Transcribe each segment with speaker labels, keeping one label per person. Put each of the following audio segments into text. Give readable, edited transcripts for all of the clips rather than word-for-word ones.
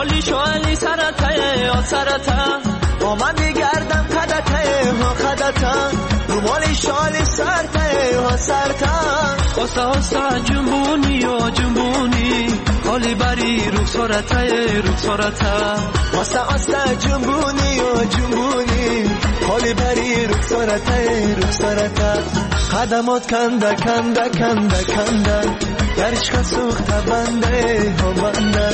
Speaker 1: رومالی شالی سرته ها سرته
Speaker 2: با من میگردم خدته ها خدته رومالی شالی سرته ها سرته
Speaker 1: آستا آستا جنبونی ها جنبونی خالی بری رخسارته رخسارته
Speaker 2: آستا آستا جنبونی ها جنبونی خالی بری رخسارته رخسارته قدمات کنده کنده کنده کنده در عشق سوخته بنده ها بنده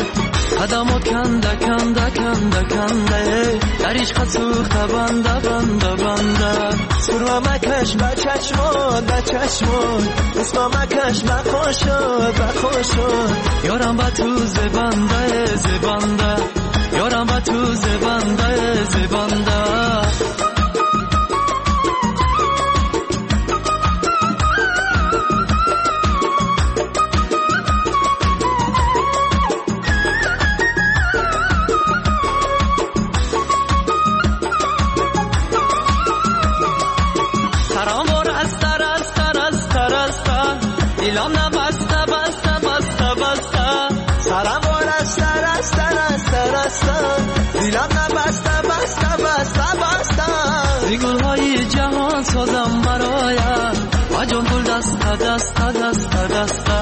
Speaker 1: قدمات کنده کنده کنده کنده در عشق سوخته بنده بنده بنده
Speaker 2: سرما مکش به چشمات به چشمات اسما مکش به خوشات به خوشات
Speaker 1: یارم به تو زبنده زبنده یارم به تو زبنده زبنده دلم نبسته بسته بسته بسته
Speaker 2: سرم رسته رسته رسته رسته دلم نبسته بسته بسته بسته
Speaker 1: ز گلهای جهان سازم برایم و جان گل دسته دسته دسته دسته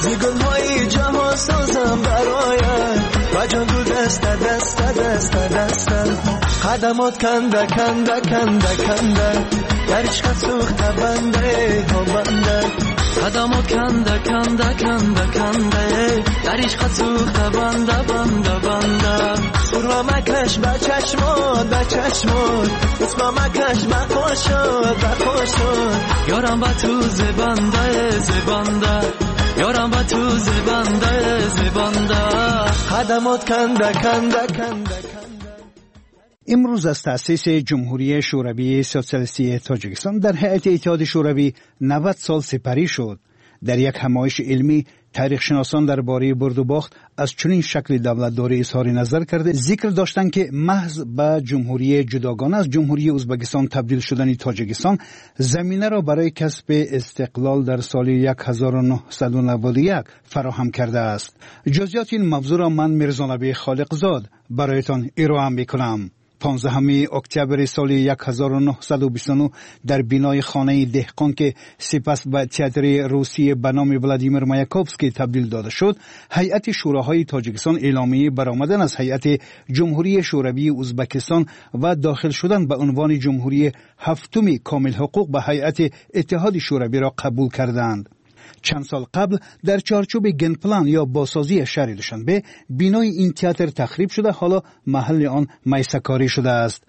Speaker 2: ز گلهای جهان سازم برایم و جان گل دسته دسته دسته دسته قدمات کنده کنده کنده کنده در عشق سوخته بنده ها بنده
Speaker 1: قدمات کنده کنده کنده کنده در عشق سوخته بنده بنده بنده
Speaker 2: سرما مکش به چشمات به چشمات اسما مکش به خوشات به خوشات
Speaker 1: یارم به تو زبنده زبنده یارم به تو زبنده زبنده
Speaker 2: قدمات کنده کنده کنده.
Speaker 3: امروز از تأسیس جمهوری شوروی سوسیالیستی تاجیکستان در هیئت اتحاد شوروی 90 سال سپری شد. در یک همایش علمی تاریخ شناسان درباره برد و باخت از چنین شکل دولتداری اظهار نظر کرده ذکر داشتند که محض به جمهوری جداگانه از جمهوری ازبکستان تبدیل شدن تاجیکستان زمینه را برای کسب استقلال در سال 1991 فراهم کرده است. جزئیات این موضوع را من میرزا خالقزاد برایتان ارائه میکنم. 15 اکتبر سال 1929 در بینای خانه دهقان که سپس به تئاتر روسی به نام ولادیمیر مایاکوفسکی تبدیل داده شد، هیئت شوراهای تاجیکستان اعلامیه برآمدن از هیئت جمهوری شوروی ازبکستان و داخل شدن به عنوان جمهوری هفتم کامل حقوق به هیئت اتحاد شوروی را قبول کردند. چند سال قبل در چارچوب گنپلان یا بازسازی شهر دوشنبه بینای این تئاتر تخریب شده، حالا محل آن میسکاری شده است.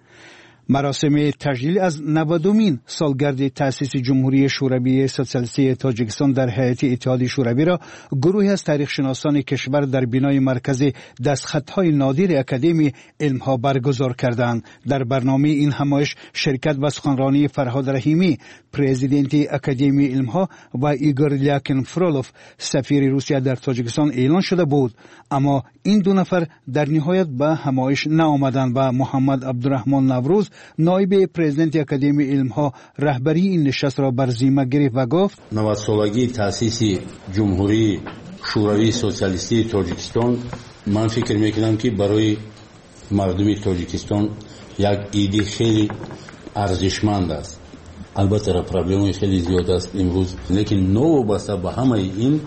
Speaker 3: مراسم تجلیل از 90مین سالگرد تأسیس جمهوری شوروی سوسیالیستی تاجیکستان در هیئت اتحاد شوروی را گروهی از تاریخ شناسان کشور در بینای مرکز دستخط‌های نادر اکادمی علمها برگزار کردند. در برنامه این همایش شرکت و سخنرانی فرهاد رحیمی، پرزیدنت اکادمی علمها و ایگور لیاکین فرولوف، سفیر روسیه در تاجیکستان اعلان شده بود، اما این دو نفر در نهایت به همایش نآمدند و محمد عبدالرحمن نوروز، نایب پرزیدنت اکادمی علمها، رهبری این نشست را بر ذمه گرفت و گفت:
Speaker 4: 90 солагии таъсиси Ҷумҳурии Шӯравии Социалистии Тоҷикистон ман фикр мекунам ки барои мардуми Тоҷикистон як иди хеле арзишманд аст. Албатта проблемаи хеле зиёд аст имрӯз, лекин новобаста ба ҳамаи ин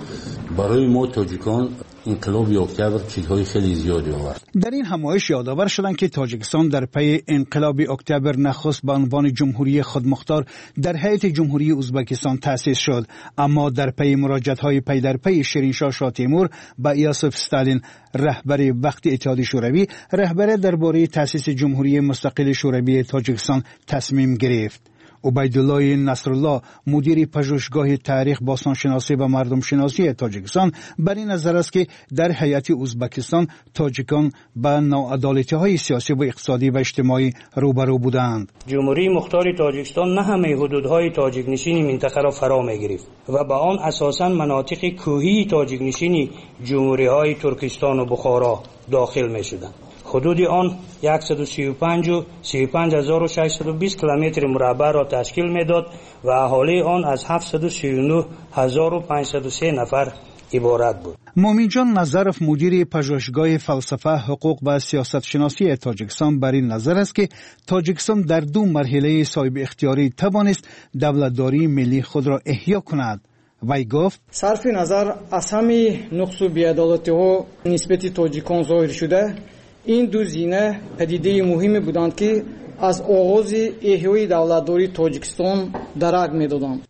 Speaker 4: барои мо тоҷикон инқилоби октябр чизҳои хеле зиёде овард.
Speaker 3: در این همایش یادآور شدند که تاجیکستان در پی انقلاب اکتبر نخست به عنوان جمهوری خودمختار در هیئت جمهوری ازبکستان تأسیس شد، اما در پی مراجعت های پی در پی شیرینشاه شاه تیمور به یوسف ستالین، رهبر وقت اتحاد شوروی، رهبر درباره تأسیس جمهوری مستقل شوروی تاجیکستان تصمیم گرفت. عبیدالله نصرالله، مدیر پژوهشگاه تاریخ، باستانشناسی و مردم شناسی تاجیکستان، بر این نظر است که در هیئت ازبکستان تاجیکان به ناعدالتی های سیاسی و اقتصادی و اجتماعی روبرو بودند.
Speaker 5: جمهوری مختار تاجیکستان نه همه حدودهای تاجیک نشین منطقه را فرا می گرفت و به آن اساسا مناطق کوهی تاجیک نشین جمهوری های ترکستان و بخارا داخل می شدند. حدود آن 135 و 35620 کیلومتر مربع را تشکیل میداد و اهالی آن از 739503 نفر عبارت بود.
Speaker 3: Муъминҷон Назаров, мудири Пажӯҳишгоҳи фалсафа, ҳуқуқ ва сиёсатшиносии Тоҷикистон, бар ин назар аст, ки Тоҷикистон дар ду марҳилаи соҳибихтиёрӣ тавонист давлатдории миллии худро эҳё кунад. Вай гуфт:
Speaker 6: Сарфи назар аз ҳамаи нуқсу беадолатиҳо нисбати тоҷикон зоҳир шуда, ин ду зина падидаи муҳиме буданд, ки аз оғози эҳёи давлатдории Тоҷикистон дарак медоданд.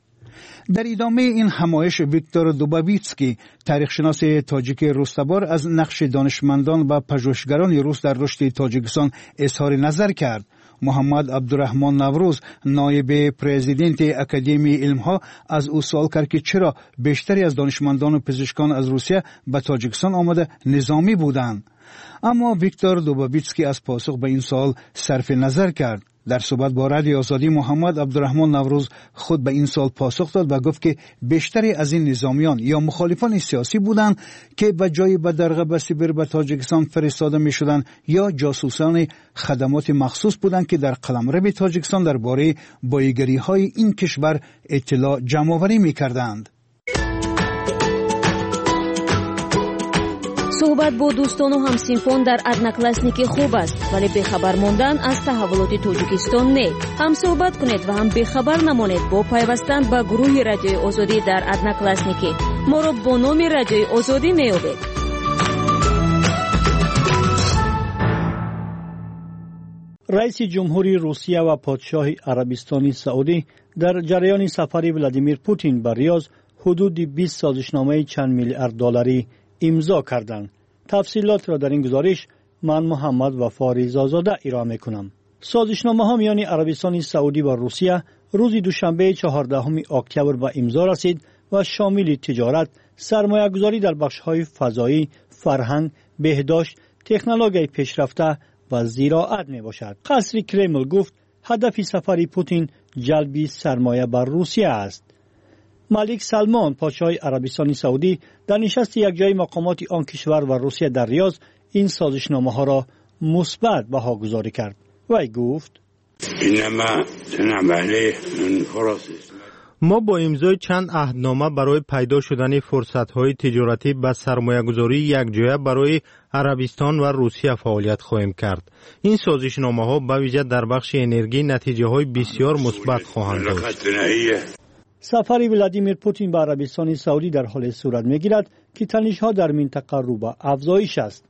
Speaker 3: Дар идомаи ин ҳамоиш Виктор Дубовитский, таърихшиноси тоҷики рустабор, аз нақши донишмандон ва пажӯҳишгарони рус дар рушди Тоҷикистон изҳори назар кард. Муҳаммад Абдураҳмон Наврӯз, ноиби президенти Академияи илмҳо, аз ӯ суол кард, ки чаро бештаре аз донишмандону пизишкон аз Русия ба Тоҷикистон омада низомӣ буданд. Аммо Виктор Дубовитский аз посух ба ин суол сарфи назар кард. Дар суҳбат бо Радиои Озодӣ Муҳаммад Абдураҳмон Наврӯз худ ба ин суол посух дод ва гуфт, ки бештаре аз ин низомиён ё мухолифони сиёсӣ буданд, ки ба ҷои бадарға ба Сибир ба Тоҷикистон фиристода мешуданд, ё ҷосусони хадамоти махсус буданд, ки дар қаламрави Тоҷикистон дар бораи боигариҳои ин кишвар иттилоъ ҷамъоварӣ мекарданд.
Speaker 7: Суҳбат бо дӯстону ҳамсинфон дар Одноклассники хуб аст, вале бехабар мондан аз таҳаввулоти Тоҷикистон не. Ҳам суҳбат кунед ва ҳам бехабар намонед бо пайвастан ба гурӯҳи Радиои Озодӣ дар Одноклассники. Моро бо номи Радиои Озодӣ меёбед.
Speaker 8: Раиси ҷумҳури Русия ва подшоҳи Арабистони Саудӣ дар ҷараёни сафари Владимир Путин ба Риёз ҳудуди 20 созишномаи чанд миллиард долларӣ имзо карданд. Тафсилотро дар ин гузориш ман, Муҳаммад Вафо Ризозода, ироа мекунам. Созишномаҳо миёни Арабистони Саудӣ ва Русия рӯзи душанбеи 14 октябр ба имзо расид ва шомили тиҷорат, сармоягузорӣ дар бахшҳои фазоӣ, фарҳанг, беҳдошт, технологияи пешрафта ва зироат мебошад. Қасри Кремл гуфт, ҳадафи сафари Путин ҷалби сармоя бар Русия аст. Малик Салмон, подшоҳи Арабистони Саудӣ, дар нишасти якҷои мақомоти он кишвар ва Русия дар Риёз ин созишномаҳоро мусбат баҳогузорӣ кард. Вай гуфт:
Speaker 9: Мо бо имзои чанд аҳднома барои пайдо шудани фурсатҳои тиҷоратӣ ба сармоягузории якҷоя барои Арабистон ва Русия фаъолият хоҳем кард. Ин созишномаҳо ба вижа дар бахши энергӣ натиҷаҳои бисёр мусбат хоҳанд дошт.
Speaker 8: Сафари Владимир Путин ба Арабистони Саудӣ дар ҳоле сурат мегирад, ки танишҳо дар минтақа рӯ ба афзоиш аст.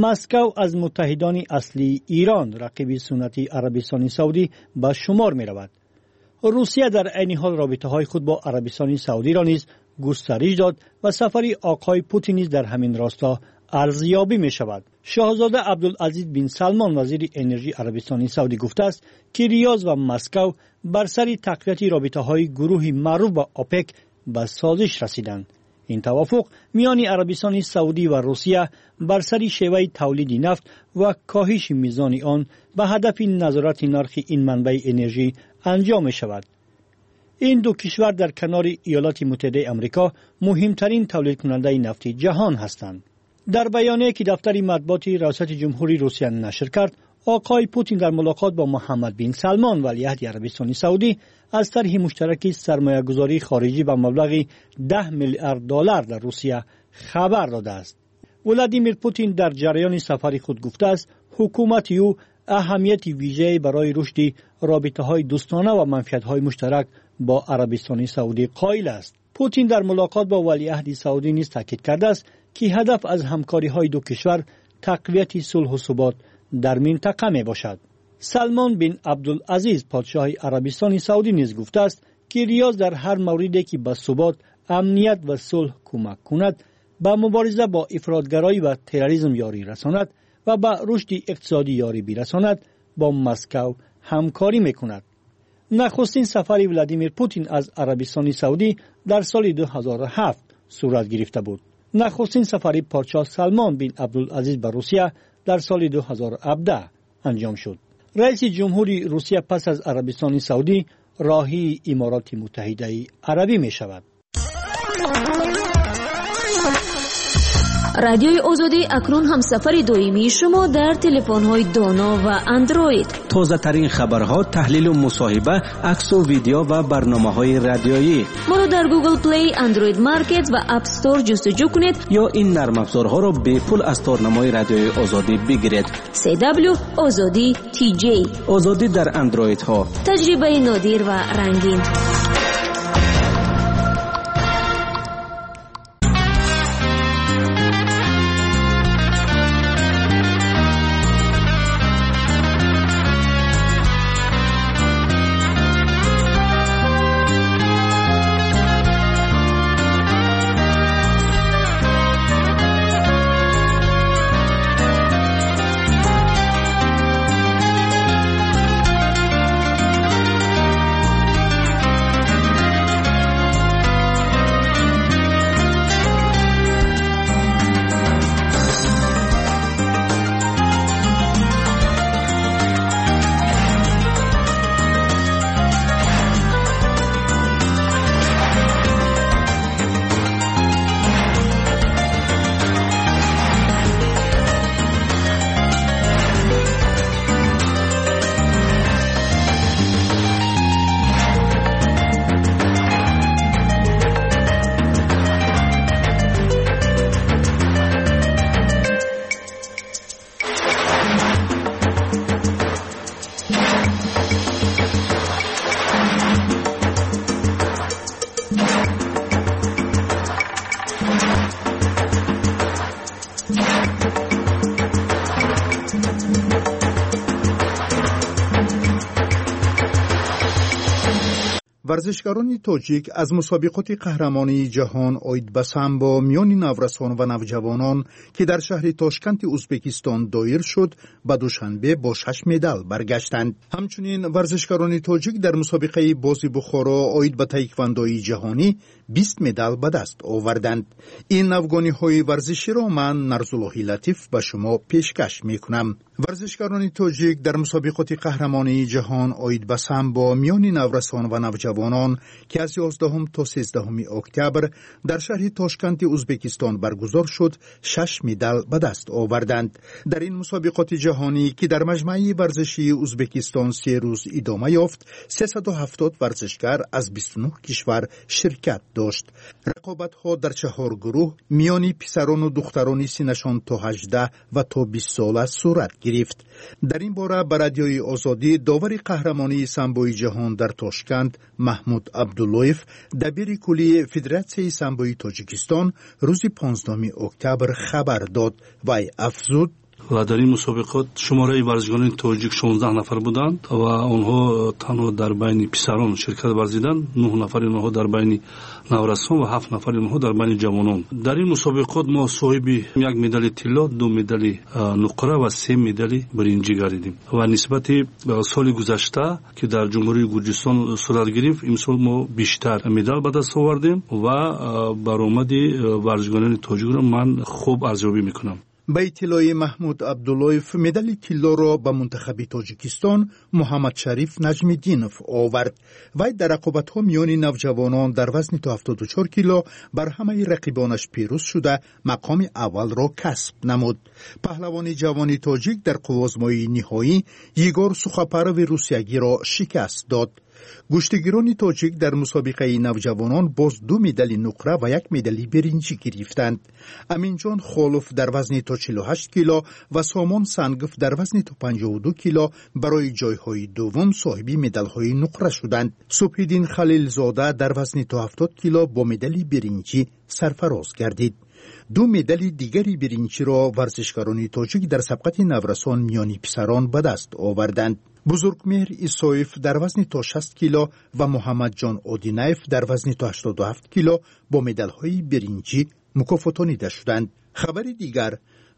Speaker 8: Москав аз муттаҳидони аслии Ирон, рақиби суннатии Арабистони Саудӣ, ба шумор меравад. Русия дар айни ҳол робитаҳои худ бо Арабистони Саудиро низ густариш дод ва сафари оқои Путин низ дар ҳамин росто арзёбӣ мешавад. Шоҳзода Абдулазиз бин Салмон, вазири энержии Арабистони Саудӣ, гуфтааст, ки Риёз ва Москав бар сари тақвияти робитаҳои гурӯҳи маъруф ба ОПЕК ба созиш расиданд. Ин тавофуқ миёни Арабистони Саудӣ ва Русия бар сари шеваи тавлиди нафт ва коҳиши мизони он ба ҳадафи назорати нархи ин манбаи энержӣ анҷом мешавад. Ин ду кишвар дар канори Иёлоти Муттаҳидаи Амрико муҳимтарин тавлидкунандаи нафти ҷаҳон ҳастанд. Дар баёние, ки дафтари матбуоти раёсати ҷумҳурии Русия нашр кард, оқои Путин дар мулоқот бо Муҳаммад бин Салмон, валиаҳди Арабистони Саудӣ, аз тарҳи муштараки сармоягузории хориҷӣ ба маблағи 10 миллиард доллар дар Русия хабар додааст. Владимир Путин дар ҷараёни сафари худ гуфтааст, ҳукумати ӯ аҳамияти вижае барои рушди робитаҳои дӯстона ва манфиатҳои муштарак бо Арабистони Саудӣ қоил аст. Путин дар мулоқот бо валиаҳди саудӣ низ таъкид кардааст, ки ҳадаф аз ҳамкориҳои ду кишвар тақвияти сулҳу субот дар минтақа мебошад. Салмон бин Абдулазиз, подшоҳи Арабистони Саудӣ, низ гуфтааст, ки Риёз дар ҳар мавриде, ки ба субот, амният ва сулҳ кӯмак кунад, ба мубориза бо ифротгароӣ ва терроризм ёрӣ расонад ва ба рушди иқтисодӣ ёрӣ бирасонад, бо Москав ҳамкорӣ мекунад. Нахустин сафари Владимир Путин аз Арабистони Саудӣ дар соли 2007 сурат гирифта буд. Нахустин сафари подшоҳ Салмон бин Абдулазиз ба Русия дар соли 2017 анҷом шуд. Раиси ҷумҳури Русия пас аз Арабистони Саудӣ роҳии Имороти Муттаҳидаи Арабӣ мешавад.
Speaker 7: Радиои Озодӣ акнун ҳамсафари доимии шумо дар телефонҳои доно ва Андроид.
Speaker 10: Тозатарин хабарҳо, таҳлилу мусоҳиба, аксу видео ва барномаҳои радиоӣ.
Speaker 7: Моро дар Google Play, Android Market ва App Store ҷустуҷӯ кунед
Speaker 10: ё ин нармафзорҳоро бепул аз торнамои Радиои Озодӣ бигиред.
Speaker 7: CW Озодӣ TJ.
Speaker 10: Озодӣ дар андроидҳо.
Speaker 7: Таҷрибаи нодир ва рангин.
Speaker 11: Варзишгарони тоҷик аз мусобиқоти қаҳрамонии ҷаҳон оид ба самбо миёни наврасон ва навҷавонон, ки дар шаҳри Тошканти Узбекистон доир шуд, ба Душанбе бо 6 медал баргаштанд. Ҳамчунин варзишгарони тоҷик дар мусобиқаи бози Бухоро оид ба таеквандои ҷаҳонӣ 20 медал ба даст оварданд. Ин навгониҳои варзиширо ман, Нарзуллоҳи Латиф, ба шумо пешкаш мекунам. Варзишгарони тоҷик дар мусобиқоти қаҳрамонии ҷаҳон оид ба самбо миёни наврасон ва навҷавонон, ки аз 11 то 13 октябр дар шаҳри Тошканти Узбекистон баргузор шуд, 6 медал ба даст оварданд. Дар ин мусобиқоти ҷаҳонӣ, ки дар маҷмӯаи варзишии Узбекистон 3 рӯз идома ёфт, 370 варзишгар аз 29 кишвар ширкат дошт. Рақобатҳо дар 4 гурӯҳ миёни писарону духтарони синнашон то 18 ва то 20 сола сурат гирифт. Дар ин бора ба Радиои Озодӣ довари қаҳрамонии самбои ҷаҳон дар Тошканд Маҳмуд Абдуллоев, дабири куллии Федератсияи самбои Тоҷикистон, рӯзи 15 октябр хабар дод. Вай афзуд:
Speaker 12: Ва дар ин мусобиқот шумораи варзишгарони тоҷик 16 нафар буданд ва онҳо танҳо дар байни писарон ширкат варзиданд, 9 нафари онҳо дар байни наврасон ва 7 нафари онҳо дар байни ҷавонон. Дар ин мусобиқот мо соҳиби 1 медали тилло, 2 медали нуқра ва 3 медали биринҷӣ гардидем ва нисбати соли гузашта, ки дар Ҷумҳурии Гурҷистон сурат гирифт, имсол мо бештар медал ба даст овардем ва баромади варзишгарони тоҷикро ман хуб арзёбӣ мекунам.
Speaker 11: Ба иттилои Маҳмуд Абдуллоев, медали тиллоро ба мунтахаби Тоҷикистон Муҳаммадшариф Наҷмиддинов овард. Вай дар рақобатҳо миёни навҷавонон дар вазни то 74 кило бар ҳамаи рақибонаш пирӯз шуда, мақоми аввалро касб намуд. Паҳлавони ҷавони тоҷик дар қуввозмоии ниҳоӣ Егор Сухопарови русиягиро шикаст дод. Гӯштигирони тоҷик дар мусобиқаи навҷавонон боз 2 медали нуқра ва 1 медали биринҷӣ гирифтанд. Аминҷон Холов дар вазни то 48 кило ва Сомон Сангов дар вазни то 52 кило барои ҷойҳои дуввум соҳиби медалҳои нуқра шуданд. Субҳиддин Халилзода дар вазни то 70 кило бо медали биринҷӣ сарфароз гардид. 2 медали дигари биринҷиро варзишгарони тоҷик дар сабқати наврасон миёни писарон ба даст оварданд. Бузургмеҳр Исоев дар вазни то 60 кило ва Муҳаммадҷон Одинаев дар вазни то 87 кило бо медалҳои биринҷӣ мукофотонида шуданд. Хабари дигар: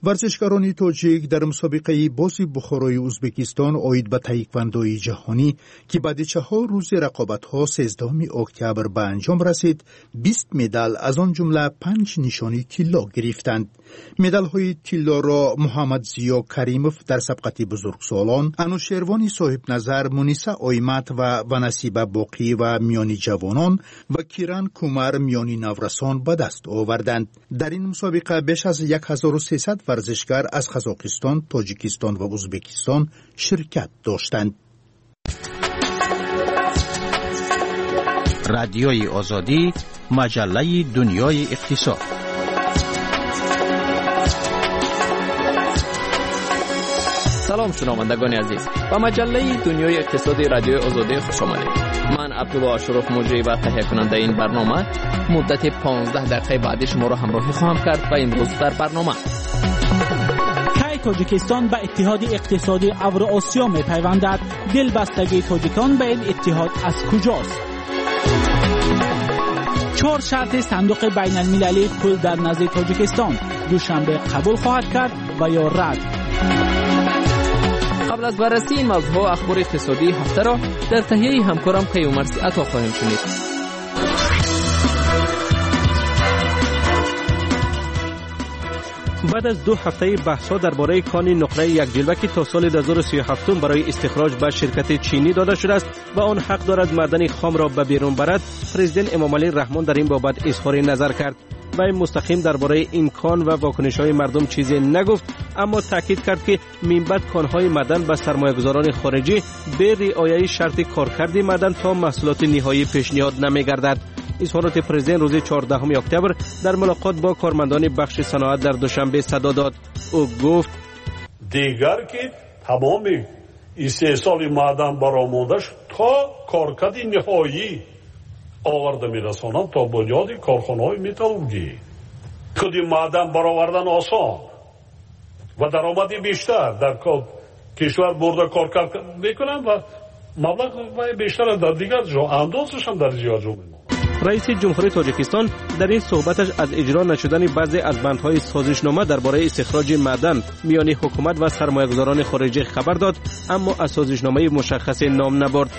Speaker 11: Варзишгарони тоҷик дар мусобиқаи бози Бухорои Ӯзбекистон оид ба таеквондои ҷаҳонӣ, ки баъди 4 рӯзи рақобатҳо 13 октябр ба анҷом расид, 20 медал, аз он ҷумла 5 нишони тилло гирифтанд. Медалҳои тиллоро Муҳаммадзиё Каримов дар сабқати бузургсолон, Анушервони Соҳибназар, Муниса Оймат ва Насиба Боқиева миёни ҷавонон ва Киран Кумар миёни наврасон ба даст оварданд. Дар ин мусобиқа беш аз 1300 варзишгар аз Қазоқистон, Тоҷикистон ва Ӯзбекистон ширкат доштанд.
Speaker 10: Радиои Озодӣ, маҷаллаи дунёи иқтисод.
Speaker 13: Салом, шунавандагони азиз, ба маҷаллаи дунёи иқтисоди Радиои Озодӣ хуш омадед. Ман Абдулло Ашуров, муҷрӣ ва таҳиякунандаи ин барнома, муддати 15 дақиқаи баъдӣ шуморо ҳамроҳӣ хоҳам кард ва имрӯз дар барнома:
Speaker 14: Кай Тоҷикистон ба Иттиҳоди Иқтисодии Авроосиё мепайвандад? Дилбастагии тоҷикон ба ин иттиҳод аз куҷост? Чор шарти Сандуқи байналмилалии пул дар назди Тоҷикистон: Душанбе қабул хоҳад кард ва ё рад?
Speaker 13: Қабл аз баррасии ин мавзӯъҳо, ахбори иқтисодии ҳафтаро дар таҳияи ҳамкорам Каюмарси Ато хоҳем шунид.
Speaker 15: Баъд аз 2 ҳафтаи баҳсҳо дар бораи кони нуқраи якҷилва, ки то соли 2037 барои истихроҷ ба ширкати чинӣ дода шудааст ва он ҳақ дорад маъдани хомро ба берун барад, президент Эмомалӣ Раҳмон дар ин бобат изҳори назар кард. Вай мустақим дар бораи ин кон ва вокунишҳои мардум чизе нагуфт, аммо таъкид кард, ки минбаъд конҳои маъдан ба сармоягузорони хориҷӣ бе риояи шарти коркарди маъдан то маҳсулоти ниҳоӣ пешниҳод намегардад. Изҳороти президент рӯзи 14 октябр дар мулоқот бо кормандони бахши саноат дар Душанбе садо дод. Ӯ гуфт:
Speaker 16: Дигар ки тамоми истеҳсоли маъдан баромондаш то коркарди ниҳоӣ оварда мерасонанд то бунёди корхонаҳои металлургӣ. Худи маъдан баровардан осон ва даромади бештар дар кишвар бурда коркард мекунанд ва маблағ бештар дар дигар ҷо андозашам дар зиёд ҷо мемонад.
Speaker 15: Раиси Ҷумҳурии Тоҷикистон дар ин суҳбаташ аз иҷро нашудани баъзе аз бандҳои созишнома дар бораи истихроҷи маъдан миёни ҳукумат ва сармоягузорони хориҷӣ хабар дод, аммо аз созишномаи мушаххасе ном набурд.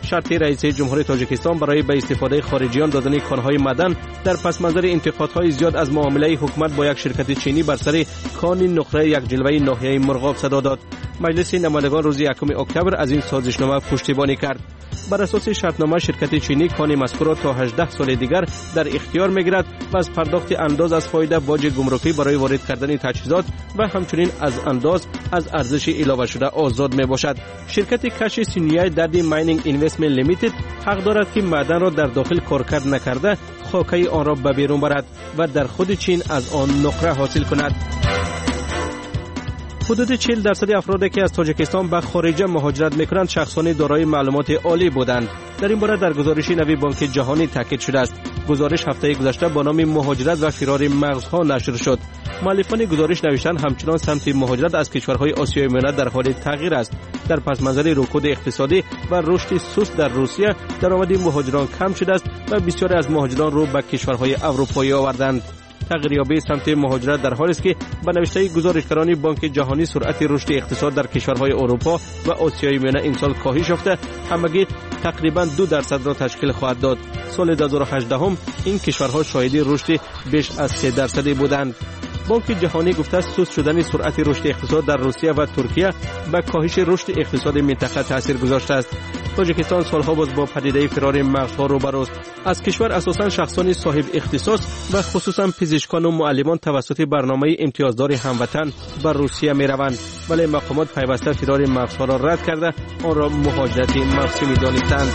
Speaker 15: Шарти раиси Ҷумҳурии Тоҷикистон барои ба истифодаи хориҷиён додани конҳои маъдан дар пасманзари интиқодҳои зиёд аз муомилаи ҳукумат бо як ширкати чинӣ бар сари кони нуқраи якҷилваи ноҳияи Мурғоб садо дод. Маҷлиси намояндагон рӯзи 1 октябр аз ин созишнома пуштибонӣ кард. Бар асоси шартнома, ширкати чинӣ кони мазкурро то 18 соли дигар дар ихтиёр мегирад ва аз пардохти андоз аз фоида, боҷи гумрукӣ барои ворид кардани таҷҳизот ва ҳамчунин аз андоз аз арзиши иловашуда озод мебошад. Ширкати каши Синьяй Дарди Майнинг Инвестмент Лимитед ҳақ дорад, ки маъданро дар дохил коркард накарда, хокаи онро ба берун барад ва дар худи Чин аз он нуқра ҳосил кунад. Ҳудуди 40% афроде, ки аз Тоҷикистон ба хориҷа муҳоҷират мекунанд, шахсони дорои маълумоти олӣ буданд. Дар ин бора дар гузориши нави Бонки Ҷаҳонӣ таъкид шудааст. Гузориш ҳафтаи гузашта бо номи «Муҳоҷират ва фирори мағзҳо» нашр шуд. Муаллифони гузориш навиштанд, ҳамчунон самти муҳоҷират аз кишварҳои Осиёи Миёна дар ҳоли тағйир аст. Дар пасманзари рукуди иқтисодӣ ва рушди суст дар Русия, даромади муҳоҷирон кам шудааст ва бисёре аз муҳоҷирон рӯ ба кишварҳои аврупоӣ оварданд. Тағйирёбии самти муҳоҷират дар ҳолест, ки ба навиштаи гузоришгарони Бонки Ҷаҳонӣ, суръати рушди иқтисод дар кишварҳои Аврупо ва Осиёи Миёна имсол коҳиш ёфта, ҳамагӣ тақрибан 2%-ро ташкил хоҳад дод. Соли 2018 ин кишварҳо шоҳиди рушди беш аз 3% буданд. Бонки Ҷаҳонӣ гуфтааст, суст шудани суръати рушди иқтисод дар Русия ва Туркия ба коҳиши рушди иқтисоди минтақа таъсир гузоштааст. Тоҷикистон солҳо боз бо падидаи фирори мағзҳо рӯбарӯст. Аз кишвар асосан шахсони соҳиб ихтисос ва хусусан пизишкону муаллимон тавассути барномаи имтиёздори ҳамватан ба Русия мераванд, вале мақомот пайваста фирори мағзҳоро рад карда, онро муҳоҷирати мавсимӣ донистанд.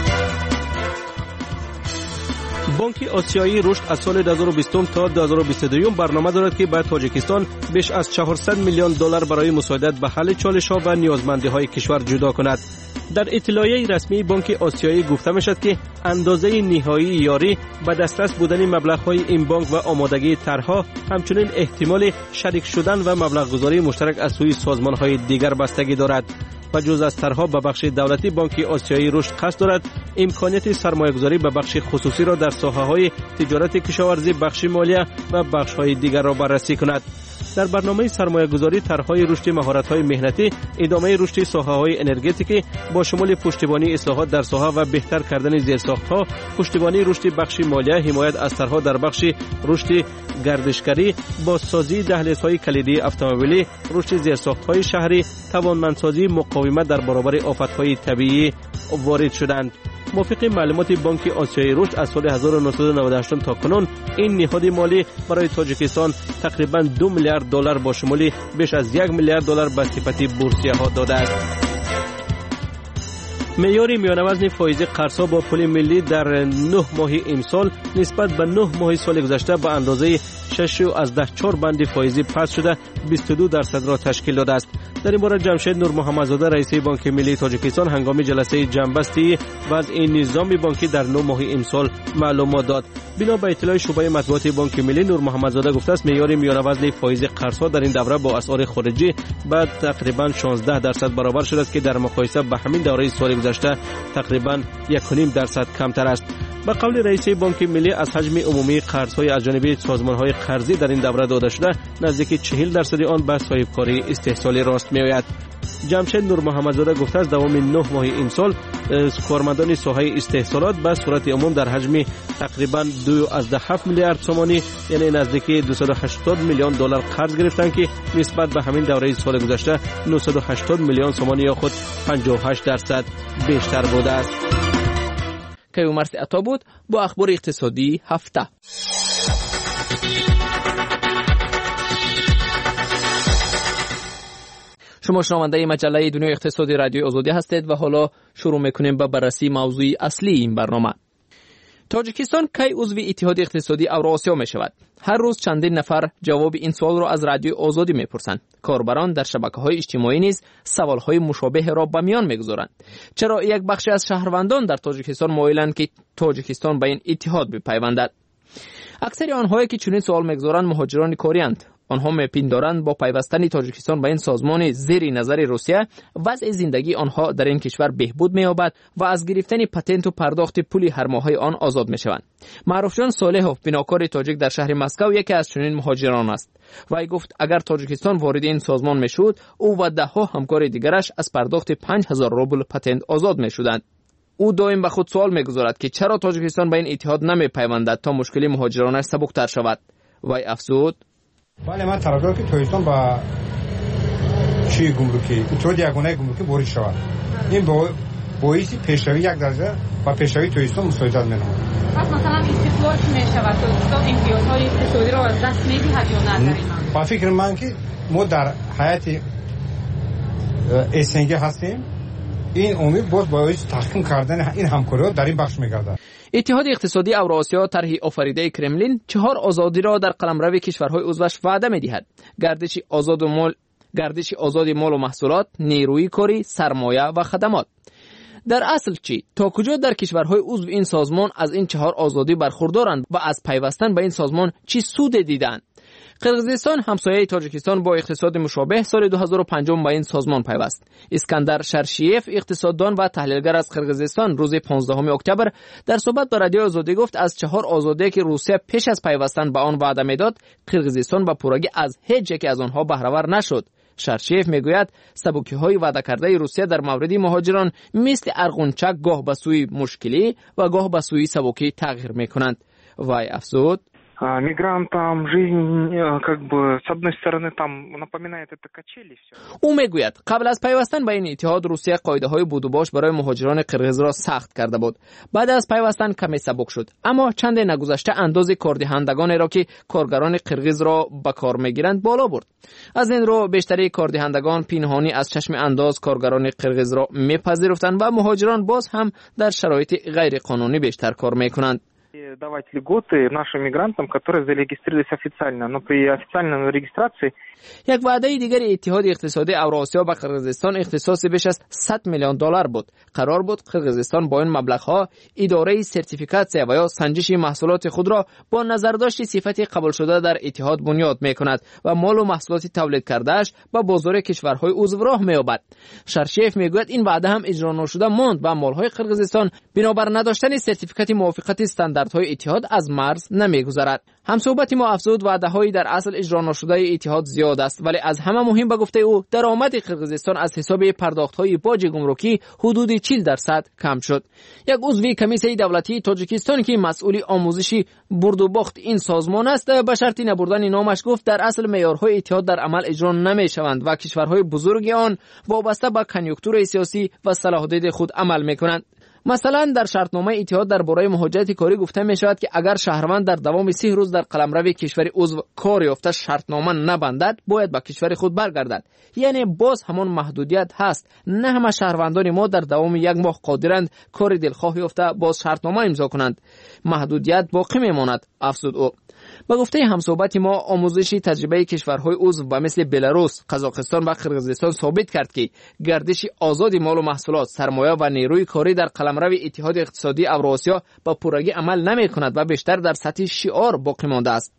Speaker 15: Бонки Осиёии рушд аз соли 2020 то 2022 барнома дорад, ки ба Тоҷикистон беш аз 400 миллион доллар барои мусоидат ба ҳалли чолишҳо ва ниёзмандиҳои кишвар ҷудо кунад. Дар иттилоияи расмии Бонки Осиёӣ гуфта мешавад, ки андозаи ниҳоии ёрӣ ба дастрас будани маблағҳои ин бонк ва омодагии тарҳҳо, ҳамчунин эҳтимоли шарик шудан ва маблағгузории муштарак аз сӯи созмонҳои дигар бастагӣ дорад. Ба ҷуз аз тарҳҳо ба бахши давлатӣ, Бонки Осиёии рушд қасд дорад имконияти сармоягузорӣ ба бахши хусусиро дар соҳаҳои тиҷорати кишоварзӣ, бахши молия ва бахшҳои дигарро баррасӣ кунад. Дар барномаи сармоягузорӣ тарҳҳои рушди маҳоратҳои меҳнатӣ, идомаи рушди соҳаҳои энергетикӣ бо шумули пуштибонии ислоҳот дар соҳа ва беҳтар кардани зерсохтҳо, пуштибонии рушди бахши молия, ҳимоят аз тарҳҳо дар бахши рушди гардишгарӣ, бозсозии даҳлезҳои калидии автомобилӣ, рушди зерсохтҳои шаҳрӣ, тавонмандсозии муқовимат дар баробари офатҳои табиӣ ворид шуданд. Мувофиқи маълумоти Бонки Осиёи Рушд аз соли 1998 то кунун ин ниҳоди молӣ барои Тоҷикистон тақрибан 2 миллиард доллар бо шумули беш аз 1 миллиард доллар ба сифати бурсияҳо додааст. Меъёри миёнавазни фоизи қарзҳо бо пули миллӣ дар 9 моҳи имсол нисбат ба 9 моҳи соли гузашта ба андозаи 6,4 банди фоизӣ паст шуда 22% ташкил додааст. Дар ин бора Ҷамшед Нурмуҳаммадзода, раиси Бонки Миллии Тоҷикистон, ҳангоми ҷаласаи ҷамъбасти вазъи низоми бонкӣ дар 9 моҳи имсол маълумот дод. Бино ба иттилои шӯъбаи матбуоти Бонки Миллӣ, Нурмуҳаммадзода гуфтааст, меъёри миёнавазни фоизи қарзҳо дар ин давра бо асъори хориҷӣ ба тақрибан 16% баробар шудааст, ки дар муқоиса ба ҳамин давраи соли гузашта тақрибан 1,5% камтар аст. Ба қавли раиси Бонки Миллӣ, аз ҳаҷми умумии қарзҳои аз ҷониби созмонҳои қарзӣ дар ин давра дода шуда, наздики 40% он ба соҳибкории истеҳсолӣ рост меояд. Ҷамшед Нурмуҳаммадзода гуфтааст, давоми 9 моҳи имсол кормандони соҳаи истеҳсолот ба сурати умум дар ҳаҷми тақрибан 2,7 миллиард сомонӣ, яъне наздики 280 миллион доллар қарз гирифтанд, ки нисбат ба ҳамин давраи соли гузашта 980 миллион сомонӣ ё худ 58% бештар будааст.
Speaker 13: Каюмарс Ато буд бо ахбори иқтисодии ҳафта. Шумо шунавандаи маҷаллаи дунёи иқтисоди радиои Озодӣ ҳастед ва ҳоло шурӯъ мекунем ба баррасии мавзӯи аслии ин барнома. Тоҷикистон кай узви Иттиҳоди иқтисодии Авроосиё мешавад? Ҳар рӯз чандин нафар ҷавоби ин суолро аз радиои Озодӣ мепурсанд. Корбарон дар шабакаҳои иҷтимоӣ низ саволҳои мушобеҳеро ба миён мегузоранд. Чаро як бахше аз шаҳрвандон дар Тоҷикистон моиланд, ки Тоҷикистон ба ин иттиҳод бипайвандад? Аксари онҳое, ки чунин суол мегузоранд, муҳоҷирони корианд. Онҳо мепиндоранд, бо пайвастани Тоҷикистон ба ин созмони зери назари Русия вазъи зиндагии онҳо дар ин кишвар беҳбуд меёбад ва аз гирифтани патенту пардохти пули ҳармоҳаи он озод мешаванд. Маъруфҷон Солеҳов, бинокори тоҷик дар шаҳри Москав, яке аз чунин муҳоҷирон аст. Вай гуфт, агар Тоҷикистон вориди ин созмон мешуд, ӯ ва даҳҳо ҳамкори дигараш аз пардохти 5000 рубл патент озод мешуданд. Ӯ доим ба худ суол мегузорад, ки чаро Тоҷикистон ба ин иттиҳод намепайвандад, то мушкили муҳоҷиронаш сабуктар шавад. Вай афзуд:
Speaker 17: бале, ман тарафдорам, ки Тоҷикистон ба чии гумрукӣ, иттиҳоди ягонаи гумрукӣ ворид шавад. Ин боиси пешравӣ як дараҷа ба пешравии Тоҷикистон мусоидат менамояд.
Speaker 18: Пас масалан истиқлол чӣ мешавад? Тоҷикистон имтиёзҳои иқтисодиро аз даст медиҳад ё на дар ин маврид?
Speaker 17: Ба фикри ман, ки мо дар ҳайати СНГ ҳастем, ин омил боз боиси таҳким кардани ин ҳамкориҳо дар ин бахш мегардад.
Speaker 13: Иттиҳоди иқтисодии Авроосиё, тарҳи офаридаи Кремлин, 4 озодиро дар қаламрави кишварҳои узваш ваъда медиҳад: гардиши озоди молу маҳсулот, нерӯи корӣ, сармоя ва хадамот. Дар асл чӣ? То куҷо дар кишварҳои узв ин созмон аз ин 4 озодӣ бархурдоранд ва аз пайвастан ба ин созмон чӣ суде дидаанд? Қирғизистон, ҳамсояи Тоҷикистон бо иқтисоди мушобеҳ, соли 2005 ба ин созмон пайваст. Искандар Шаршиев, иқтисоддон ва таҳлилгар аз Қирғизистон, рӯзи 15 октябр дар суҳбат ба радиои Озодӣ гуфт, аз 4 озодие, ки Русия пеш аз пайвастан ба он ваъда медод, Қирғизистон ба пуррагӣ аз ҳеҷ яке аз онҳо баҳравар нашуд. Шаршиев мегӯяд, сабукиҳои ваъдакардаи Русия дар мавриди муҳоҷирон мисли арғунчак гоҳ ба сӯи мушкилӣ ва гоҳ ба сӯи сабукӣ тағйир мекунанд. Вай афзуд:
Speaker 19: мигрантам жизнь, как бы, с одной стороны, там напоминает это качели всё.
Speaker 13: Ӯ мегӯяд, қабл аз пайвастан ба ин иттиҳод Русия қоидаҳои будубош барои муҳоҷирони қирғизро сахт карда буд. Баъд аз пайвастан каме сабук шуд, аммо чанде нагузашта андози кордиҳандагонеро, ки коргарони қирғизро ба кор мегиранд, боло бурд. Аз ин рӯ бештари кордиҳандагон пинҳонӣ аз чашми андоз коргарони қирғизро мепазируфтанд ва муҳоҷирон боз ҳам дар шароити ғайриқонунӣ бештар кор мекунанд.
Speaker 19: Давать льготы нашим мигрантам, которые зарегистрировались официально, но при официальной регистрации.
Speaker 13: Як ваъдаи дигари Иттиҳоди иқтисодии Авроосиё ба Қирғизистон ихтисоси беш аз 100 миллион доллар буд. Қарор буд Қирғизистон бо ин маблағҳо идораи сертификатсия ва ё санҷиши маҳсулоти худро бо назардошти сифати қабулшуда дар иттиҳод бунёд мекунад ва молу маҳсулоти тавлид кардааш ба бозори кишварҳои узв роҳ меёбад. Шаршиев мегӯяд, ин ваъда ҳам иҷро нашуда монд ва молҳои Қирғизистон бинобар надоштани сертификати мувофиқати стандарт стандартҳои иттиҳод аз марз намегузарад. Ҳамсӯҳбати мо афзуд, ваъдаҳои дар асл иҷро нашудаи иттиҳод зиёд аст, вале аз ҳама муҳим, ба гуфтаи ӯ, даромади Қирғизистон аз ҳисоби пардохтҳои боҷи гумрукӣ ҳудуди 40% кам шуд. Як узви комиссияи давлатии Тоҷикистон, ки масъули омӯзиши бурдубохт ин созмон аст, ба шарти набурдани номаш гуфт, дар асл меъёрҳои иттиҳод дар амал иҷро намешаванд ва кишварҳои бузурги он вобаста ба конъюнктураи сиёсӣ ва салоҳдиди худ амал мекунанд. Масалан, дар шартномаи иттиҳод дар бораи муҳоҷирати корӣ гуфта мешавад, ки агар шаҳрванд дар давоми 30 рӯз дар қаламрави кишвари узв кор ёфта шартнома набандад, бояд ба кишвари худ баргардад. Яъне боз ҳамон маҳдудият ҳаст. На ҳама шаҳрвандони мо дар давоми як моҳ қодиранд кори дилхоҳ ёфта боз шартнома имзо кунанд. Маҳдудият боқӣ мемонад, афзуд ӯ. Ба гуфтаи ҳамсӯҳбати мо, омӯзиши таҷрибаи кишварҳои узв ба мисли Беларус, Қазоқистон ва Қирғизистон собит кард, ки гардиши озоди молу маҳсулот, сармоя ва нерӯи корӣ дар қаламрави Иттиҳоди иқтисодии Авроосиё ба пуррагӣ амал намекунад ва бештар дар сатҳи шиор боқӣ мондааст.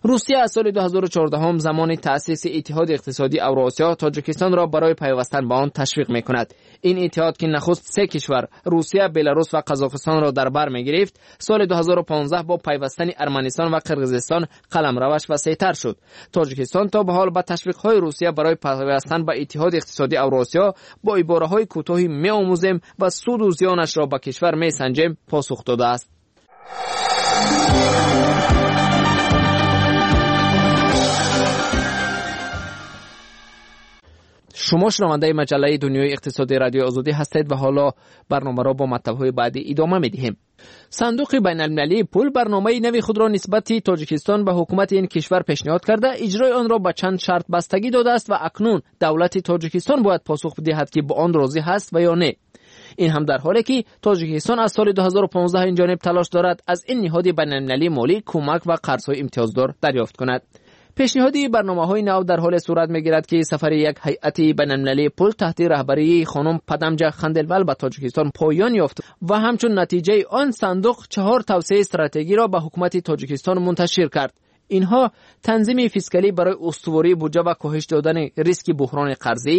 Speaker 13: Русия аз соли 2014, замони таъсиси Иттиҳоди иқтисодии Авроосиё, Тоҷикистонро барои пайвастан ба он ташвиқ мекунад. Ин иттиҳод, ки нахуст се кишвар, Русия, Беларус ва Қазоқистонро дар бар мегирифт, соли 2015 бо пайвастани Арманистон ва Қирғизистон қаламраваш васеътар шуд. Тоҷикистон то ба ҳол ба ташвиқҳои Русия барои пайвастан ба Иттиҳоди иқтисодии Авроосиё бо ибораҳои кӯтоҳи меомӯзем ва суду зиёнашро ба кишвар месанҷем посух додааст. Шумо шунавандаи маҷаллаи дунёи иқтисоди Радиои Озодӣ ҳастед ва ҳоло барномаро бо матлабҳои баъдӣ идома медиҳем. Сандуқи байналмилалии пул барномаи нави худро нисбати Тоҷикистон ба ҳукумати ин кишвар пешниҳод карда, иҷрои онро ба чанд шарт бастагӣ додааст ва акнун давлати Тоҷикистон бояд посух диҳад, ки ба он розӣ ҳаст ва ё не. Ин ҳам дар ҳоле ки Тоҷикистон аз соли 2015 инҷониб талош дорад аз ин ниҳоди байналмилалии молӣ кӯмак ва қарзҳои имтиёздор дарёфт кунад. Пешниҳоди барномаҳои нав дар ҳоле сурат мегирад, ки сафари як ҳайати байналмилалии пул таҳти раҳбарии хонум Падамҷа Ханделвал ба Тоҷикистон поён ёфт ва ҳамчун натиҷаи он сандуқ 4 тавсияи стратегиро ба ҳукумати Тоҷикистон мунташир кард. Инҳо танзими фискалӣ барои устувории буҷа ва коҳиш додани риски буҳрони қарзӣ,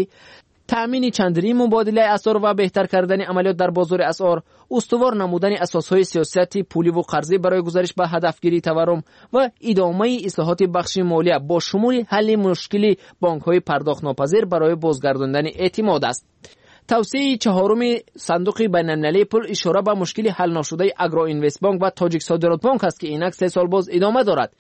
Speaker 13: таъмини чандрии мубодилаи асъор ва беҳтар кардани амалиёт дар бозори асъор, устувор намудани асосҳои сиёсати пуливу қарзӣ барои гузариш ба ҳадафгирии таваррум ва идомаи ислоҳоти бахши молия бо шумули ҳалли мушкили бонкҳои пардохтнопазир барои бозгардондани эътимод аст. Тавсияи чаҳоруми Сандуқи байналмилалии пул ишора ба мушкили ҳалношудаи Агроинвестбонк ва Тоҷиксодиротбонк аст, ки инак 3 сол боз идома дорад.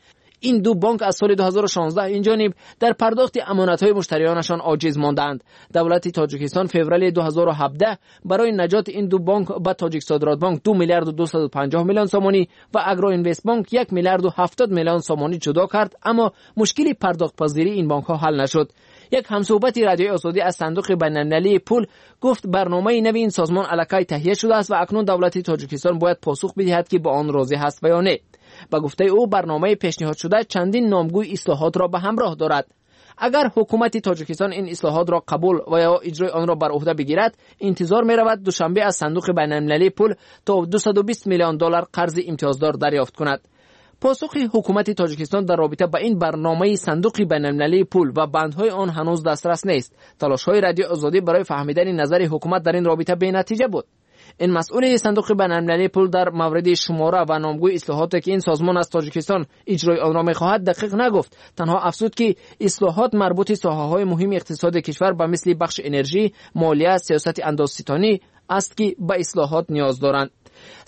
Speaker 13: Ин ду бонк аз соли 2016 инҷониб дар пардохти амонатҳои муштариёнашон оҷиз мондаанд. Давлати Тоҷикистон феврали 2017 барои наҷоти ин ду бонк ба Тоҷиксодиротбонк 2 миллиарду 250 миллион сомонӣ ва Агроинвестбонк 1 миллиарду 70 миллион сомонӣ ҷудо кард, аммо мушкили пардохтпазирии ин бонкҳо ҳал нашуд. Як ҳамсӯҳбати Радиои Озодӣ аз Сандуқи байналмилалии пул гуфт, барномаи нави ин созмон аллакай таҳия шудааст ва акнун давлати Тоҷикистон бояд посух бидиҳад, ки ба он розӣ ҳаст ва ё не. Ба гуфтаи ӯ, барномаи пешниҳодшуда чандин номгӯи ислоҳотро ба ҳамроҳ дорад. Агар ҳукумати Тоҷикистон ин ислоҳотро қабул ва ё иҷрои онро бар уҳда бигирад, интизор меравад Душанбе аз Сандуқи байналмилалии пул то 220 миллион доллар қарзи имтиёздор дарёфт кунад. Посухи ҳукумати Тоҷикистон дар робита ба ин барномаи Сандуқи байналмилалии пул ва бандҳои он ҳанӯз дастрас нест. Талошҳои Радиои Озодӣ барои фаҳмидани назари ҳукумат дар ин робита бенатиҷа буд. Ин масъули Сандуқи байналмилалии пул дар мавриди шумора ва номгӯи ислоҳоте, ки ин созмон аз Тоҷикистон иҷрои онро мехоҳад, дақиқ нагуфт. Танҳо афзуд, ки ислоҳот марбути соҳаҳои муҳими иқтисоди кишвар ба мисли бахши энержӣ, молия, сиёсати андозситонӣ аст, ки ба ислоҳот ниёз доранд.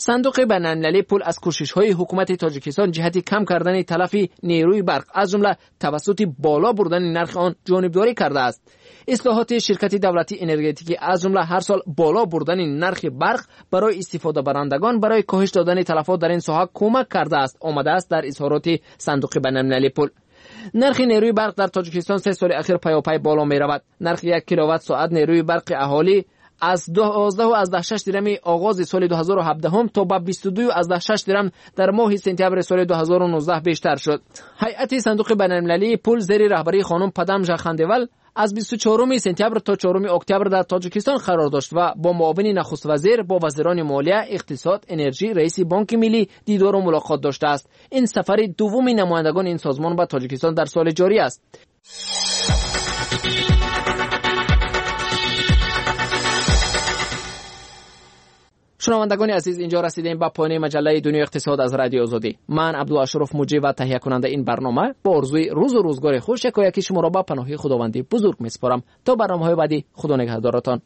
Speaker 13: Сандуқи байналмилалии пул аз кӯшишҳои ҳукумати Тоҷикистон ҷиҳати кам кардани талафи нерӯи барқ, аз ҷумла тавассути боло бурдани нархи он, ҷонибдорӣ кардааст. Ислоҳоти ширкати давлатии энергетикӣ, аз ҷумла ҳар сол боло бурдани нархи барқ барои истифодабарандагон, барои коҳиш додани талафот дар ин соҳа кӯмак кардааст, омадааст дар изҳороти Сандуқи байналмилалии пул. Нархи нерӯи барқ дар Тоҷикистон 3 соли ахир пайопай боло меравад. Нархи 1 киловатт соат нерӯи барқи аҳолӣ аз 12,6 дирами оғози соли 2017 то ба 22,6 дирам дар моҳи сентябри соли 2019 бештар шуд. Ҳайати Сандуқи байналмилалии пул зери раҳбарии хонум Падамжа Хандевал аз 24 сентябр то 4 октябр дар Тоҷикистон қарор дошт ва бо муовини нахуствазир, бо вазирони молия, иқтисод, энержӣ, раиси Бонки миллӣ дидору мулоқот доштааст. Ин сафари дуввуми намояндагони ин созмон ба Тоҷикистон дар соли ҷорӣ аст. Шунавандагони азиз, инҷо расидем ба поёни маҷаллаи Дунёи иқтисод аз Радиои Озодӣ. Ман Абдулло Ашуров, муҷрӣ ва таҳиякунандаи ин барнома, бо орзуи рӯзу рӯзгори хуш якояки шуморо ба паноҳи Худованди бузург месупорам. То барномаҳои баъдӣ, Худо нигаҳдоратон.